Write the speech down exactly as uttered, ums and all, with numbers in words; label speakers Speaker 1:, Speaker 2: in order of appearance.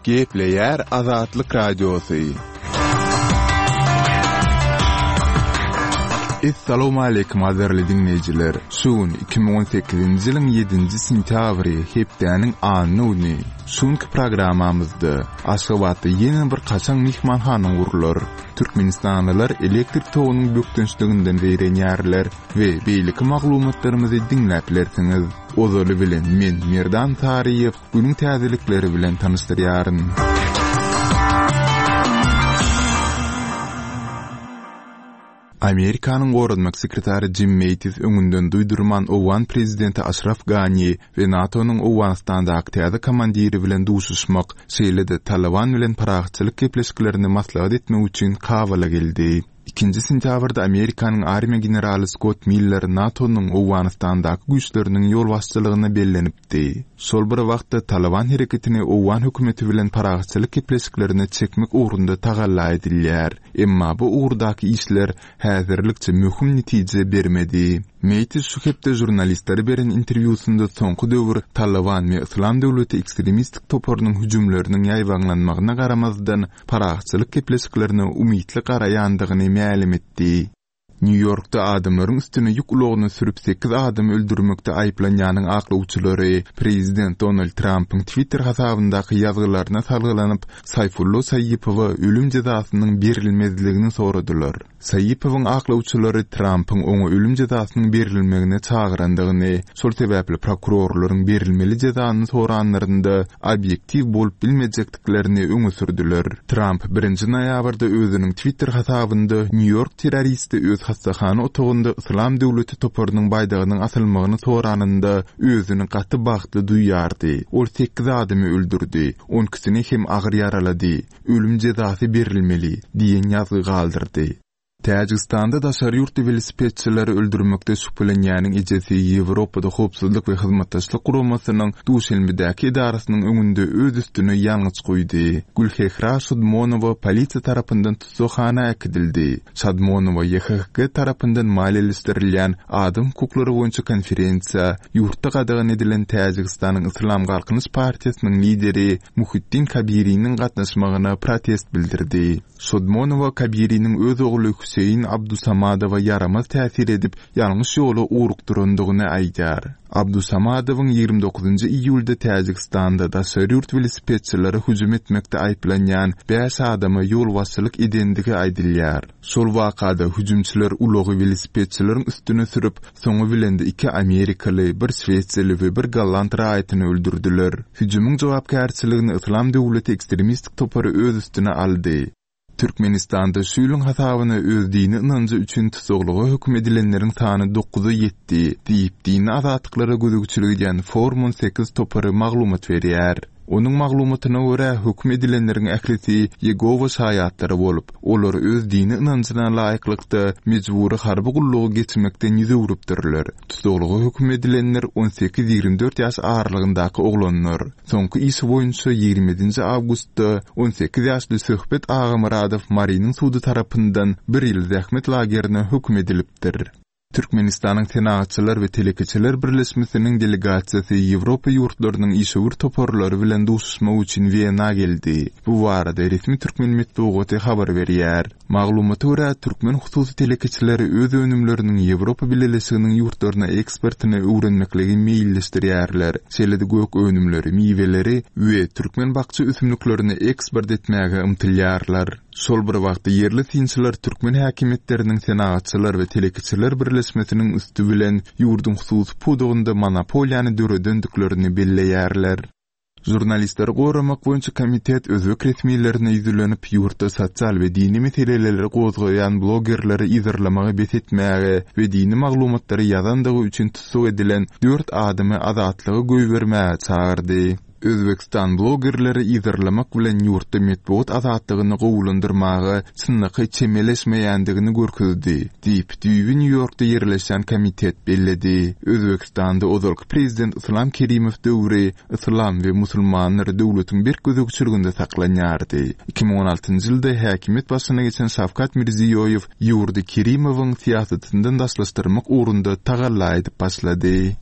Speaker 1: Gepleýär Azatlyk Radiosy. Essalawmaleýkim gadyrly diňleýjiler! Şu gün iki müň on sekizinji ýylyň ýedinji sentýabry, hepdäniň anna güni. Şu günki programmamyzda Aşgabatda ýene bir kaşaň myhmanhana gurlar. Türkmenistanlylar elektrik togunyň bökdençliginden zeýrenýärler we beýleki maglumatlarymyzy diňläp bilersiňiz. Ozaly bilen men Merdan Saryýew günüň täzelikleri bilen tanyşdyrýaryn. Amerikanyň goranmak sekretary Jim Mattis öňünden duýdurman owgan prezidenti Aşraf Gani we NATO-nyň Owganystandaky täze komandiri bilen duşuşmak, şeýle-de Taliban bilen parahatçylyk gepleşiklerini maslahat etmek üçin Kabula geldi. Ikinji sentýabrda Amerikanyň armiýa generaly Skott Miller NATO-nyň Owganystandaky güýçleriniň ýolbaşçylygyna bellenipdi. Şol bir wagtda Taliban hereketini owgan hökümeti bilen parahatçylyk gepleşiklerine çekmek ugrunda tagalla edilýär. Emma bu ugurdaky işler häzirlikçe möhüm netije bermedi. Mattis şu hepde žurnalistlere beren interwýusynda soňky döwür Taliban we Yslam döwleti ekstremistik toparynyň hüjümleriniň ýaýbaňlanmagyna garamazdan parahatçylyk gepleşiklerine umytly garaýandygyny mälim etdi. Nýu-Ýorkda adamlaryň üstüne ýük ulagyny sürüp sekiz adamy öldürmekde aýyplanýanyň aklawçylary prezident Donald Trampyň Twitter hasabyndaky ýazgylaryna salgylanyp, Saýfullo Saýipowa ölüm jezasynyň berilmezligini soradylar. Saýipowyň aklawçylary Trampyň oňa ölüm jezasynyň berilmegine çagyrandygyny, şol sebäpli prokurorlaryň berilmeli jezany soranlarynda obýektiw bolup bilmejekdiklerini öňe sürdüler. Tramp birinji noýabrda özüniň Twitter hasabynda Nýu-Ýork terroristi öz hassahana otagynda Yslam döwleti toparynyň baýdagynyň asylmagyny soranynda özüni gaty bagtly duýýardy. Ol sekiz adamy öldürdi, on ikisini hem agyr ýaralady. Ölüm jezasy berilmeli diýen ýazgy galdyrdy. Täjigistanda daşary ýurtly welosipedçileri öldürmekde şübhelenýäniň ejesi Ýewropada howpsuzlyk we hyzmatdaşlyk guramasynyň Duşenbedäki edarasynyň öňünde öz üstüne ýangyç guýdy. Gülhehra Şadmonowa polisiýa tarapyndan tutsaghana äkidildi. Şadmonowa Y H G tarapyndan maliýeleşdirilýän adam hukuklary boýunça konferensiýa ýurtda gadagan edilen Täjigistanyň Yslam Galkynyş partiýasynyň lideri Muhiddin Kabiriniň gatnaşmagyna protest bildirdi. Şadmonowa Kabiriniň öz ogly Hüseýin Abdusamadowa ýaramaz täsir edip, ýalňyş ýola ugrukdyrandygyny aýdýar. Abdusamadowyň ýigrimi dokuzynjy iýulda Täjigistanda daşary ýurt welosipedçilere hüjüm etmekde aýyplanýan bäş adama ýolbaşçylyk edendigi aýdylýar. Şol wakada hüjümçiler ulagy welosipedçileriň üstüne sürüp, soňy bilen de iki Amerikaly, bir Şwesiýaly we bir Golland raýatyny öldürdiler. Hüjümiň jogapkärçiligini Yslam döwleti ekstremistik topary öz üstüne aldy. Türkmenistanda şu ýylyň hasabyna öz dini ynanjy üçin tussaglyga höküm edilenleriň sany dokuza ýetdi, diýip dini azatlyklara gözegçilik edýän Forum on sekiz topary maglumat berýär. Onuň maglumatyna görä höküm edilenleriň ählisi Ýegowa şaýatlary bolup, olar öz dini ynanjyna laýyklykda mejbury harby gullugy geçmekden ýüz öwrüpdirler. Tussaglyga höküm edilenler on sekiz ýigrimi dört ýaş aralygyndaky oglanlar. Soňky işi boýunça ýigrimi ýedinji awgustda on sekiz ýaşly Söhbet Agamyradow Mariniň sudy tarapyndan bir ýyl zähmet lagerine höküm edilipdir. Türkmenistanyň Senagatçylar we Telekeçiler Birleşmesiniň delegasiýasy Ýewropa ýurtlarynyň işewür toparlary bilen duşuşmak üçin Wena geldi. Bu barada resmi türkmen metbugaty habar berýär. Maglumata görä, türkmen hususy telekeçileri öz önümleriniň Ýewropa Bileleşiginiň ýurtlaryna eksportyny öwrenmekligi meýilleşdirýärler. Şeýle-de gök önümleri, miweleri we türkmen bakja ösümliklerini eksport etmäge ymtylýarlar. Şol bir wagtda ýerli synçylar türkmen häkimiýetleriniň Senagatçylar we Telekeçiler Birleşmesiniň üsti bilen ýurduň hususy pudagynda monopoliýany döredendiklerini belleýärler. Žurnalistleri goramak boýunça komitet özbek resmilerine ýüzlenip, ýurtda sosial we dini meseleleri gozgaýan blogerleri yzarlamagy bes etmäge we dini maglumatlary ýazandygy üçin tussag edilen dört adamy azatlyga goýbermäge çagyrdy. Özbekistan blogerleri yzarlamak bilen ýurtda metbugat azatlygyny gowulandyrmaga çynlakaý çemeleşmeýändigini görkezdi, diýip, düýbi Nýu-Ýorkda ýerleşen komitet belledi. Özbekistanda ozalky prezident Islam Kerimow döwri Islam we musulmanlar döwletiň berk gözegçiliginde saklanýardy. Iki müň on altynjy ýylda häkimiýet başyna geçen Şawkat Mirziýoýew ýurdy Kerimowyň syýasatyndan daşlaşdyrmak ugrunda tagalla edip başlady.